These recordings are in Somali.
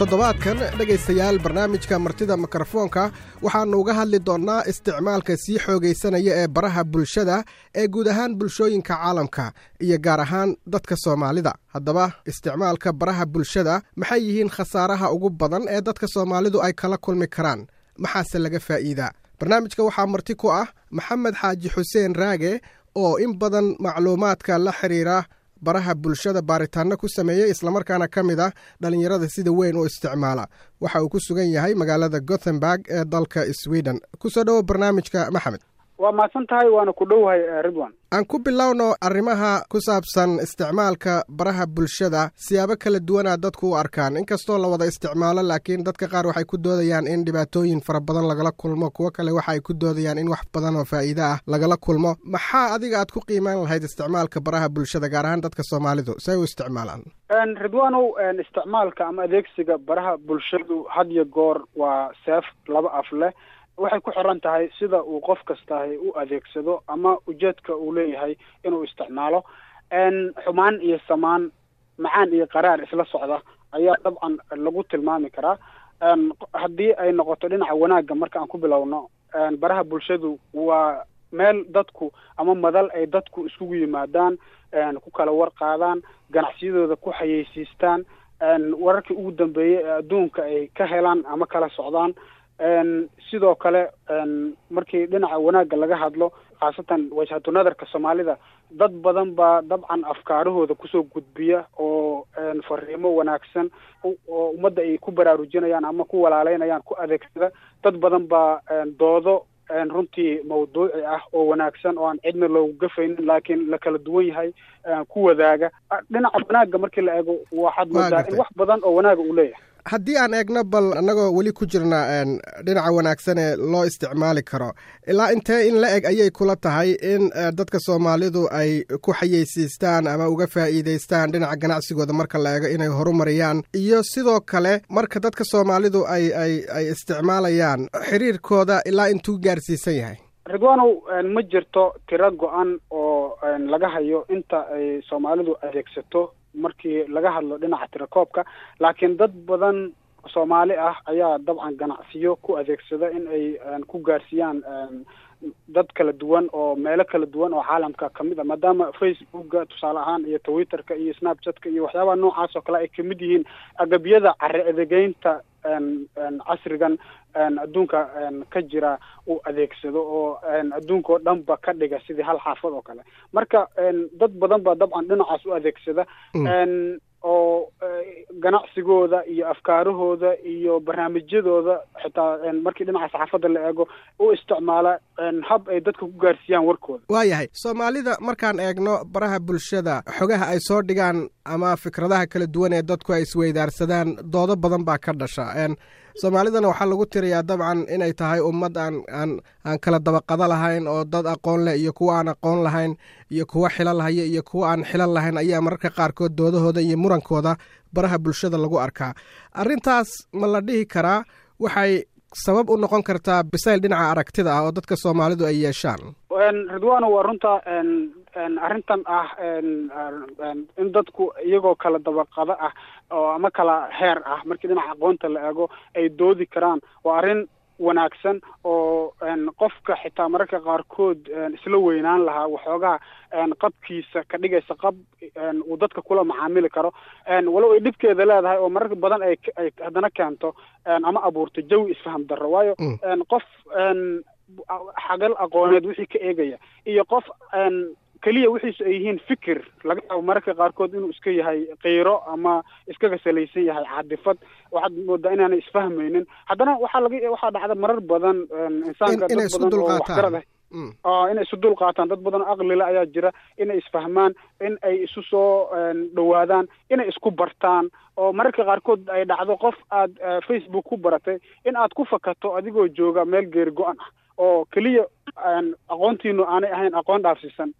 Toddobaadkan, dhegaystayaal, barnaamijka Martida Mikrofoonka waxaannu uga hadli doonnaa isticmaalka sii xoogaysanaya ee baraha bulshada ee guud ahaan bulshooyinka caalamka iyo gaar ahaan dadka Soomaalida. Haddaba, isticmaalka baraha bulshada, maxay yihiin khasaaraha ugu badan ee dadka Soomaalidu ay kala kulmi karaan? Maxaase laga faa'iidaa? Barnaamijka waxaa marti ku ah Maxamed Xaaji Xuseen Raage, oo in badan macluumaadka la xiriira baraha bulshada baaritaano ku sameeyey, islamarkaana ka mid ah dhallinyarada sida weyn u isticmaala. Waxa uu ku sugan yahay magaalada Gothenburg ee dalka Sweden. Kusoo dhowo barnaamijka, Maxamed. Waa mahadsan tahay, waana ku dhowahay, Ridwan. Aan ku bilowno arrimaha ku saabsan isticmaalka baraha bulshada. Siyaabo kala duwanaa dadku u arkaan, inkastoo la wada isticmaalo, laakiin dadka qaar waxay ku doodayaan in dhibaatooyin fara badan lagala kulmo, kuwo kale waxa ay ku doodayaan in wax badan oo faa'iide ah lagala kulmo. Maxaa adiga aad ku qiimaan lahayd isticmaalka baraha bulshada, gaar ahaan dadka Soomaalidu si ay u isticmaalaan? Ridwanow, isticmaalka ama adeegsiga baraha bulshadu had iyo goor waa seef laba af leh. Waxay ku xiran tahay sida uu qof kastahi u adeegsado ama ujeedka uu leeyahay inuu isticmaalo. Xumaan iyo samaan, macaan iyo qaraar isla socda ayaa dabcan lagu tilmaami karaa. Haddii ay noqoto dhinaca wanaagga, marka aan ku bilowno, baraha bulshadu waa meel dadku ama madal ay dadku iskugu yimaadaan, ku kala war qaadaan, ganacsiyadooda ku xayeysiistaan, wararkii ugu dambeeyey ee adduunka ay ka helaan ama kala socdaan. Sidoo kale, markii dhinaca wanaagga laga hadlo, khaasatan wajhatu nadarka Soomaalida, dad badan baa dabcan afkaarahooda kusoo gudbiya oo fariimo wanaagsan oo ummadda ay ku baraarujinayaan ama ku walaaleynayaan ku adeegsada. Dad badan baa doodo runtii mawduuci ah oo wanaagsan oo aan cidna loogu gafaynin laakiin la kala duwan yahay ku wadaaga. Dhinaca wanaagga markii la eego, waxaad moodaa in wax badan oo wanaaga uu leeyahay. Haddii aan eegno bal, annagoo weli ku jirna dhinaca wanaagsan ee loo isticmaali karo, ilaa intee in la eg ayay kula tahay in dadka Soomaalidu ay ku xayeysiistaan ama uga faa'iidaystaan dhinaca ganacsigooda marka la eego inay horumariyaan, iyo sidoo kale marka dadka Soomaalidu ay isticmaalayaan, xiriirkooda ilaa intuu gaarsiisan yahay? Ridwanow, ma jirto tiro go-an oo laga hayo inta ay Soomaalidu adeegsato markii laga hadlo dhinaca tirakoobka, laakiin dad badan Soomaali ah ayaa dabcan ganacsiyo ku adeegsada in ay ku gaarsiiyaan dad kala duwan oo meelo kala duwan oo caalamka kamid ah, maadaama Facebooka tusaale ahaan iyo Twitterka iyo Snapchatka iyo waxyaabaha noocaas oo kale ay kamid yihiin agabyada carre adeegeynta casrigan adduunka ka jira uu adeegsado, oo adduunka oo dhanba ka dhiga sidii hal xaafad oo kale. Marka dad badan baa dabcan dhinacaas u adeegsada oo ganacsigooda iyo afkaarahooda iyo barnaamijyadooda, xitaa markii dhinaca saxaafadda la eego, u isticmaala hab ay dadka ku gaarsiiyaan warkooda. Waayahay. Soomaalida markaan eegno, baraha bulshada xogaha ay soo dhigaan ama fikradaha kala duwan ee dadku ay isweydaarsadaan, doodo badan baa ka dhasha. Soomaalidana waxaa lagu tiriyaa dabcan inay tahay ummad aan kala dabaqado lahayn, oo dad aqoon leh iyo kuwa aan aqoon lahayn iyo kuwa xilal haya iyo kuwa aan xilal lahayn ayaa mararka qaarkood doodahooda iyo murankooda baraha bulshada lagu arkaa. Arrintaas ma la dhihi karaa waxay sabab u noqon kartaa bisayl dhinaca aragtida ah oo dadka Soomaalidu ay yeeshaan? Ridwano, waa runta arrintan ah in dadku iyagoo kala dabaqado ah oo ama kala heer ah markii dhinaca aqoonta la eego ay doodi karaan. Waa arrin wanaagsan oo qofka xitaa mararka qaarkood isla weynaan lahaa waxoogaa qabkiisa ka dhigaysa qab uu dadka kula macaamili karo, walow ay dhibkeeda leedahay oo mararka badan ay haddana keento ama abuurto jawi isfaham darro, waayo qof xagal aqooneed wixii ka eegaya iyo qof keliya wixiisu ay yihiin fikir, laga yaabo mararka qaarkood inuu iska yahay qiiro ama iskaga salaysan yahay caadifad, waxaad moodaa inaanay isfahmaynin. Haddana waxaa dhacda marar badan insaanka dad badan oo waxgarad ah inay isu dul qaataan. Dad badan oo aqlile ayaa jira, inay isfahmaan, in ay isu soo dhowaadaan, inay isku bartaan, oo mararka qaarkood ay dhacdo qof aad Facebook ku baratay in aad ku fakato adigoo jooga meel geeri go-an ah oo keliya aqoontiinu aanay ahayn aqoon dhaafsiisan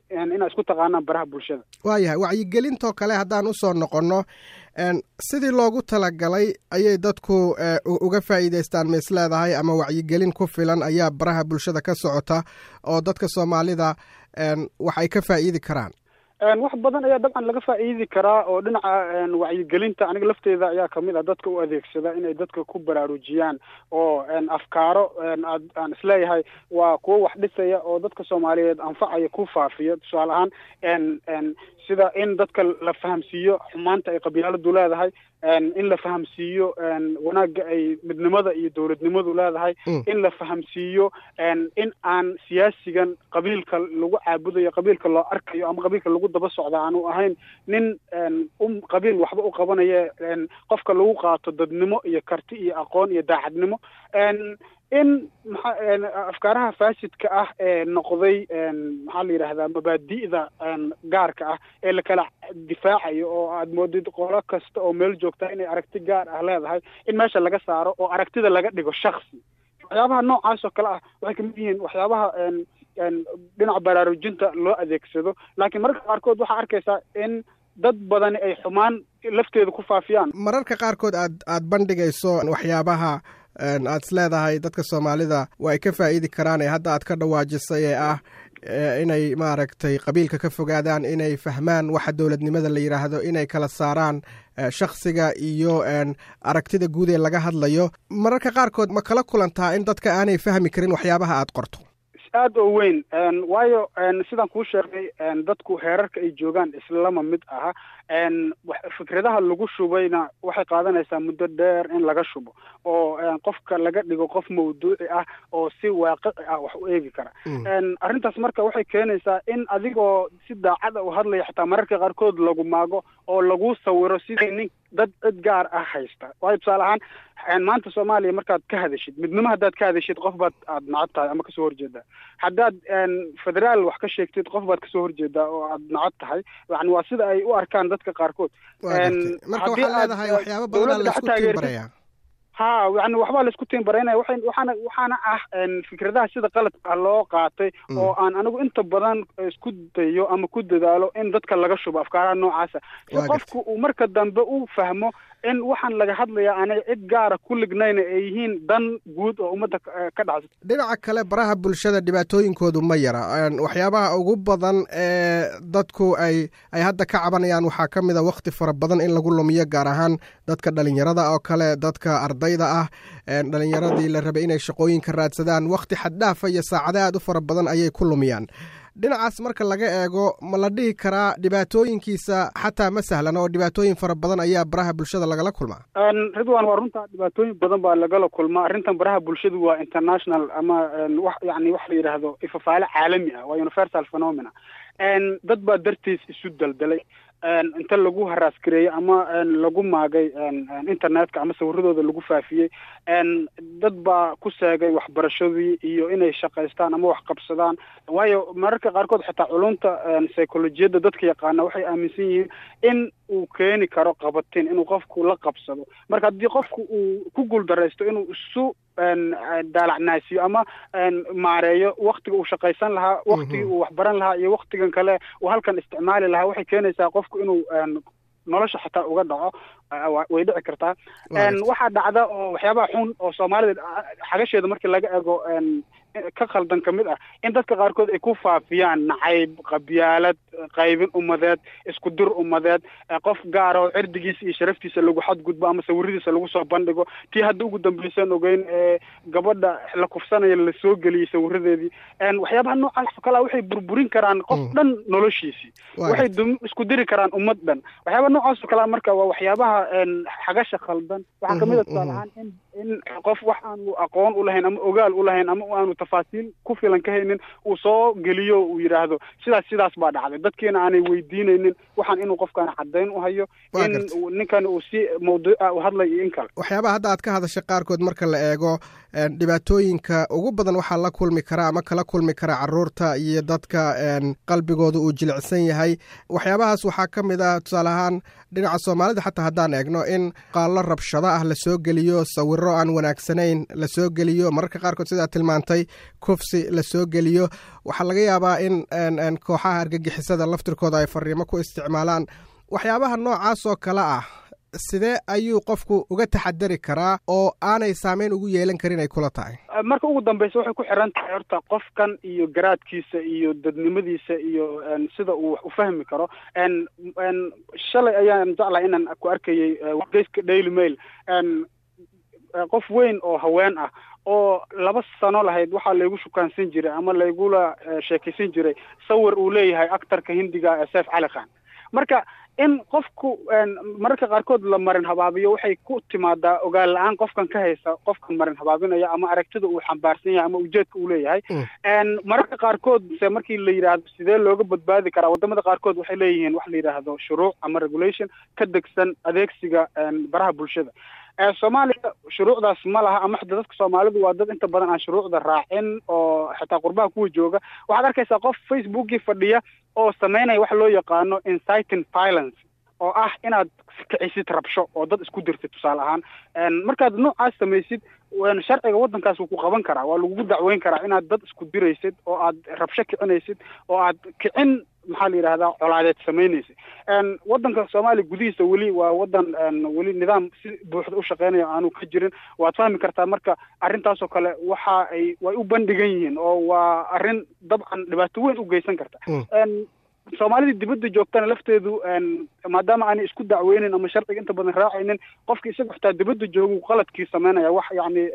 inaad isku taqaanaan baraha bulshada. Waayahay. Wacyigelintoo kale haddaan usoo noqonno, sidii loogu talagalay ayay dadku uga faa'iidaystaan ma is leedahay, ama wacyigelin ku filan ayaa baraha bulshada ka socota oo dadka Soomaalida wax ay ka faa'iidi karaan? Wax badan ayaa dabcan laga faa'iidi karaa oo dhinaca wacyigelinta aniga lafteeda ayaa kamid ah dadka u adeegsada inay dadka ku baraarujiyaan oo afkaaro aan isleeyahay waa kuwo wax dhisaya oo dadka Soomaaliyeed anfacaya ku faafiya. Tusaale ahaan sida in dadka la fahamsiiyo xumaanta ay qabyaaladu leedahay, in la fahamsiiyo wanaagga ay midnimada iyo dowladnimadu leedahay, in la fahamsiiyo in aan siyaasigan qabiilka lagu caabudayo, qabiilka loo arkayo ama qabiilka lagu daba socda aanu ahayn nin qabiil waxba u qabanaya, qofka lagu qaato dadnimo iyo karti iyo aqoon iyo daacadnimo. In afkaaraha faasidka ah ee noqday maxaa la yidhaahdaa mabaadi'da gaarka ah ee la kala difaacayo oo aad moodid qolo kasta oo meel joogta inay aragti gaar ah leedahay, in meesha laga saaro oo aragtida laga dhigo shaksi. Waxyaabaha noocaas oo kale ah waxay kamid yihiin waxyaabaha dhinaca baraarujinta loo adeegsado. Laakiin mararka qaarkood waxaa arkaysaa in dad badani ay xumaan lafteeda ku faafiyaan. Mararka qaarkood aad bandhigayso waxyaabaha aad is leedahay dadka Soomaalida waa ay ka faa'iidi karaan ee hadda aad ka dhawaajisay ee ah inay maaragtay qabiilka ka fogaadaan, inay fahmaan waxa dowladnimada la yidhaahdo, inay kala saaraan shakhsiga iyo aragtida guud ee laga hadlayo. Mararka qaarkood ma kala kulantaa in dadka aanay fahmi karin waxyaabaha aad qorto? Aad oo weyn, waayo sidaan kuu sheegay dadku heerarka ay joogaan islama mid aha. Fikradaha lagu shubayna waxay qaadanaysaa muddo dheer in laga shubo oo qofka laga dhigo qof mawduuci ah oo si waaqici ah wax u eegi kara. Arrintaas marka waxay keenaysaa in adigoo si daacada u hadlaya xitaa mararka qaarkood lagu maago oo lagu sawiro sidii nin dad cid gaar ah haysta. Waayo tusaale ahaan maanta Soomaaliya markaad ka hadashid midnimo, haddaad ka hadashid qof baad aad nacad tahay ama kasoo horjeedaa. Haddaad federaal wax ka sheegtid qof baad kasoo horjeedaa oo aad nacad tahay. Yani waa sida ay u arkaan dadka qaarkood. Marka waxaad leedahay waxyaabo badan la isku tiimbarayaa. Ha, yani waxbaa la isku tiimbaraynaya. Waxaana ah fikradaha sida qaladka loo qaatay oo aan anigu inta badan isku dayo ama ku dadaalo in dadka laga shubo afkaaraha noocaasa, si qofku uu marka dambe u fahmo in waxaan laga hadlayaa aanay cid gaara ku lignayna ay yihiin dan guud oo ummadda ka dhacsa. Dhinaca kale baraha bulshada dhibaatooyinkoodu ma yara. Waxyaabaha ugu badan ee dadku ay hadda ka cabanayaan waxaa ka mid a waqti fara badan in lagu lumiyo, gaar ahaan dadka dhalinyarada oo kale, dadka ardayda ah, dhalinyaradii la rabay inay shaqooyinka raadsadaan waqti xaddhaafa iyo saacada aad u fara badan ayay ku lumiyaan. Dhinacaas marka laga eego ma la dhihi karaa dhibaatooyinkiisa xataa ma sahlan oo dhibaatooyin fara badan ayaa baraha bulshada lagala kulmaa? Ridwan, waa runtaa, dhibaatooyin badan baa lagala kulmaa. Arrintan baraha bulshadu waa international ama wax yani wax la yidhaahdo ifafaale caalami ah, waa universal phenomena. Dad baa dartiis isu daldalay inta lagu haraasgareeyey ama lagu maagay internetka ama sawiradooda lagu faafiyey. Dad baa ku seegay waxbarashadii iyo inay shaqaystaan ama wax qabsadaan. Waayo mararka qaarkood xitaa culunta psycholojiyadda dadka yaqaana waxay aaminsan yihiin in uu keeni karo qabatin inuu qofku la qabsado. Marka haddii qofku uu ku guuldaraysto inuu isu daalacnaasiyo ama maareeyo waktiga uu shaqaysan lahaa, waktigii uu waxbaran lahaa iyo waktigan kale uu halkan isticmaali lahaa, waxay keenaysaa qofku inuu nolosha xataa uga dhaco, way dhici kartaa. Waxaa dhacda oo waxyaabaha xun oo Soomaalida xagasheeda markii laga eego ka khaldan kamid ah in dadka qaarkood ay ku faafiyaan nacayb, qabyaalad, qaybin ummadeed, isku dir ummadeed, qof gaara oo cirdigiisa iyo sharaftiisa lagu xadgudbo ama sawiradiisa lagu soo bandhigo. Tii hadda ugu dambaysan ogeyn ee gabadha la kufsanaya lasoo geliyey sawiradeedii. Waxyaabaha noocaas oo kale ah waxay burburin karaan qof dhan noloshiisii, waxay isku diri karaan ummad dhan. Waxyaabaha noocaas oo kale ah marka waa waxyaabaha xagasha khaldan. Waxaa kamid ah tusaale ahaan in qof wax aanu aqoon u lahayn ama ogaal u lahayn ama aanu tafaasiil ku filan ka haynin uu soo geliyo, uu yidhaahdo sidaas baa dhacday, dadkiina aanay weydiinaynin waxaan inuu qofkaan caddayn u hayo in ninkan uu si mawduuca u hadlay iyo in kale. Waxyaabaha hadda aad ka hadashay qaarkood marka la eego dhibaatooyinka ugu badan waxaa la kulmi kara ama kala kulmi kara caruurta iyo dadka qalbigooda uu jilicsan yahay. Waxyaabahaas waxaa ka mid ah tusaale ahaan dhinaca Soomaalida xataa haddaan eegno in qaallo rabshado ah lasoo geliyo, sawiro aan wanaagsanayn lasoo geliyo, mararka qaarkood sidaa tilmaantay kufsi lasoo geliyo. Waxaa laga yaabaa in kooxaha argagixisada laftirkooda ay fariimo ku isticmaalaan. Waxyaabaha noocaas oo kale ah Sidee ayuu qofku uga taxadari karaa oo aanay saameyn ugu yeelan karin ay kula tahay? Marka ugu dambeysa waxay ku xiran tahay horta qofkan iyo garaadkiisa iyo dadnimadiisa iyo sida uu wax u fahmi karo. Shalay ayaan jeclahay inaan ku arkayay wargeyska Daily Mail qof weyn oo haween ah oo 2 sano lahayd waxaa laygu shukaansan jiray ama laygula sheekaysan jiray sawir uu leeyahay actarka Hindiga ee Saif Cali Khan. Marka in qofku mararka qaarkood la marin habaabiyo waxay ku timaadaa ogaal la-aan qofkan ka haysa, qofkan marin habaabinaya ama aragtida uu xambaarsan yahay ama ujeedka uu leeyahay. Mararka qaarkood se markii la yidhaahdo sidee looga badbaadi karaa, wadamada qaarkood waxay leeyihiin wax la yidhaahdo shuruuc ama regulation ka degsan adeegsiga baraha bulshada. Soomaaliya shuruucdaas ma laha, ama xitaa dadka Soomaalidu waa dad inta badan aan shuruucda raacin oo xitaa qurbaha kuwa jooga. Waxaad arkaysaa qof Facebookii fadhiya oo sameynaya wax loo yaqaano inciting violence, oo ah inaad kicisid rabsho oo dad isku dirtid tusaale ahaan. Markaad noocaas samaysid, sharciga waddankaas wuu ku qaban karaa, waa lagugu dacweyn karaa inaad dad isku diraysid oo aad rabsho kicinaysid oo aad kicin, maxaa la yidhahdaa, colaadeed samaynaysa. Waddanka Soomaaliya gudihiisa weli waa waddan weli nidaam si buuxda u shaqeynaya aanu ka jirin, waad fahmi kartaa. Marka arrintaasoo kale waxa ay way u bandhigan yihiin oo waa arrin dabcan dhibaato weyn u geysan karta. Soomaalidii dibadda joogtana lafteedu, maadaama aanay isku dacweynin ama sharciga inta badan raacaynin, qofka isaga xitaa dibadda joogu qaladkii sameynaya, wax yacni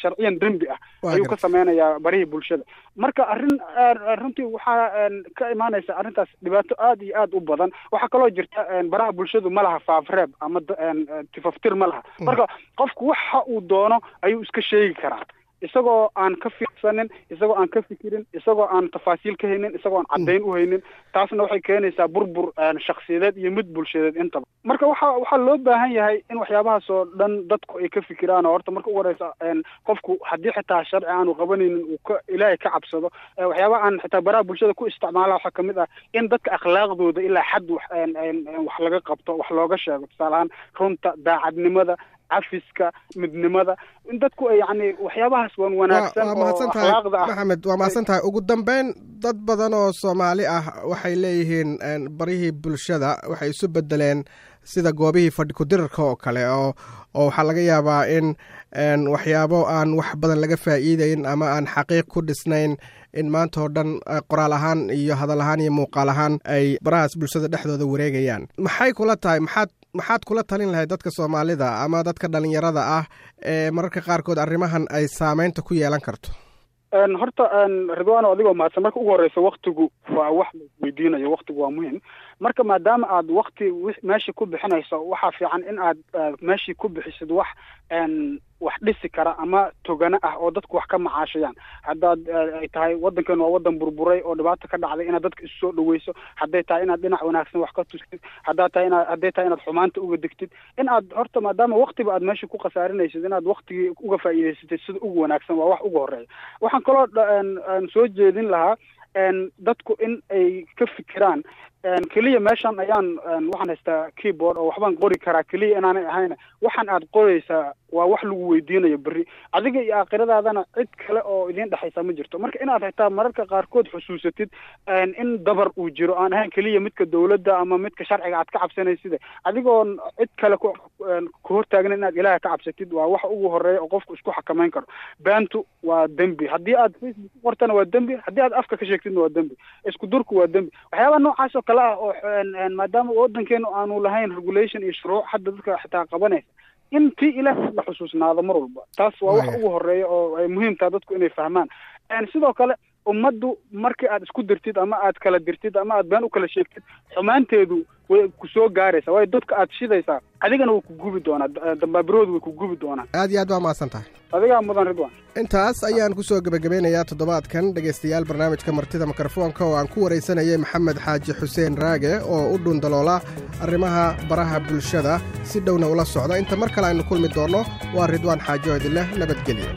sharciyan dembi ah ayuu ka sameynayaa barihii bulshada. Marka arrin runtii waxaa ka imaanaysa arrintaas dhibaato aad iyo aad u badan. Waxaa kaloo jirta baraha bulshadu ma laha faafreeb ama tifaftir ma laha. Marka qofku waxa uu doono ayuu iska sheegi karaa, isagoo aan ka fiirsanin, isagoo aan ka fikirin, isagoo aan tafaasiil ka haynin, isagoo aan caddayn u haynin. Taasna waxay keenaysaa burbur shakhsiyadeed iyo mid bulshadeed intaba. Marka waxaa loo baahan yahay in waxyaabahaas oo dhan dadku ay ka fikiraan, oo horta marka ugu horeysa qofku haddii xitaa sharci aanu qabanaynin uu ka Ilaahay ka cabsado. Waxyaabaha aan xitaa baraha bulshada ku isticmaala waxaa kamid ah in dadka akhlaaqdooda ilaa xad wax laga qabto, wax looga sheego, tusaale ahaan runta, daacadnimada, cafiska, midnimada, in dadku ay yani waxyaabahaas wan wanaagsan oo akhlaaqda ah. Maxamed, waa mahadsan tahay. Ugu dambeyn, dad badan oo Soomaali ah waxay leeyihiin barihii bulshada waxay isu bedeleen sida goobihii fadhi ku-dirarka oo kale, oo waxaa laga yaabaa in waxyaabo aan wax badan laga faa'iideyn ama aan xaqiiq ku dhisnayn in maanta oo dhan qoraal ahaan iyo hadal ahaan iyo muuqaal ahaan ay barahaas bulshada dhexdooda wareegayaan. Maxay kula tahay? Maxaad kula talin lahayd dadka Soomaalida ama dadka dhalinyarada ah ee mararka qaarkood arrimahan ay saameynta ku yeelan karto? Horta Ridwaano, adigoo mahadsan, marka ugu horeysa waktigu waa wax la weydiinayo, waktigu waa muhim. Marka maadaama aad wakti meeshii ku bixinayso, waxaa fiican in aad meeshii ku bixisid wax dhisi kara ama togano ah oo dadku wax ka macaashayaan. Haddaad ay tahay waddankan waa waddan burburay oo dhibaato ka dhacday, inaad dadka isu soo dhaweyso, hadday tahay inaad dhinac wanaagsan wax ka tustid, haddaad tahay inaad hadday tahay inaad xumaanta uga degtid, in aad horta maadaama waktiba aad meesha ku khasaarinaysid, inaad waktigii uga faa'iidaysatid sida ugu wanaagsan waa wax ugu horeeya. Waxaan kaloo soo jeedin lahaa dadku in ay ka fikiraan keliya meeshan ayaan waxaan haystaa keyboard oo waxbaan qori karaa keliya inaanay ahayn. Waxaan aad qoraysaa waa wax lagu weydiinayo berri, adiga iyo aakhiradaadana cid kale oo idiin dhexaysa ma jirto. Marka inaad xitaa mararka qaarkood xusuusatid in dabar uu jiro aan ahayn keliya midka dawladda ama midka sharciga aad ka cabsanaysida, adigoon cid kale ku hortaagna, inaad Ilaaha ka cabsatid waa waxa ugu horeeya oo qofku isku xakameyn karo. Beentu waa dembi, haddii aad Facebook ku qortana waa dembi, haddii aad afka ka sheegtidna waa dembi, isku durku waa dembi. Waxyaabaha noocaas oo kale ah oo maadaama waddankeenu aanu lahayn regulation iyo shuruuc hadda dadka xitaa qabanaysa, in tii Ilaah la xusuusnaado mar walba, taas waa wax ugu horeeya oo ay muhiim tahay dadku inay fahmaan. Sidoo kale ummaddu markii aad isku dirtid ama aad kala dirtid ama aad been u kala sheegtid, xumaanteedu way ku soo gaaraysaa, waayo dadka aad shidaysaa adigana way ku gubi doonaa, dambaabiroodu way ku gubi doonaa. Aad iyo aad waa mahadsan tahay. Adigaa mudan, Ridwan. Intaas ayaan kusoo gebagabeynayaa toddobaadkan dhegaystayaal barnaamijka martida mikrofoonka oo aan ku waraysanayay Maxamed Xaaji Xuseen Raage oo u dhundaloola arrimaha baraha bulshada si dhowna ula socda. Inta mar kale aynu kulmi doonno, waa Ridwaan Xaaji oo idinleh nabadgelyo.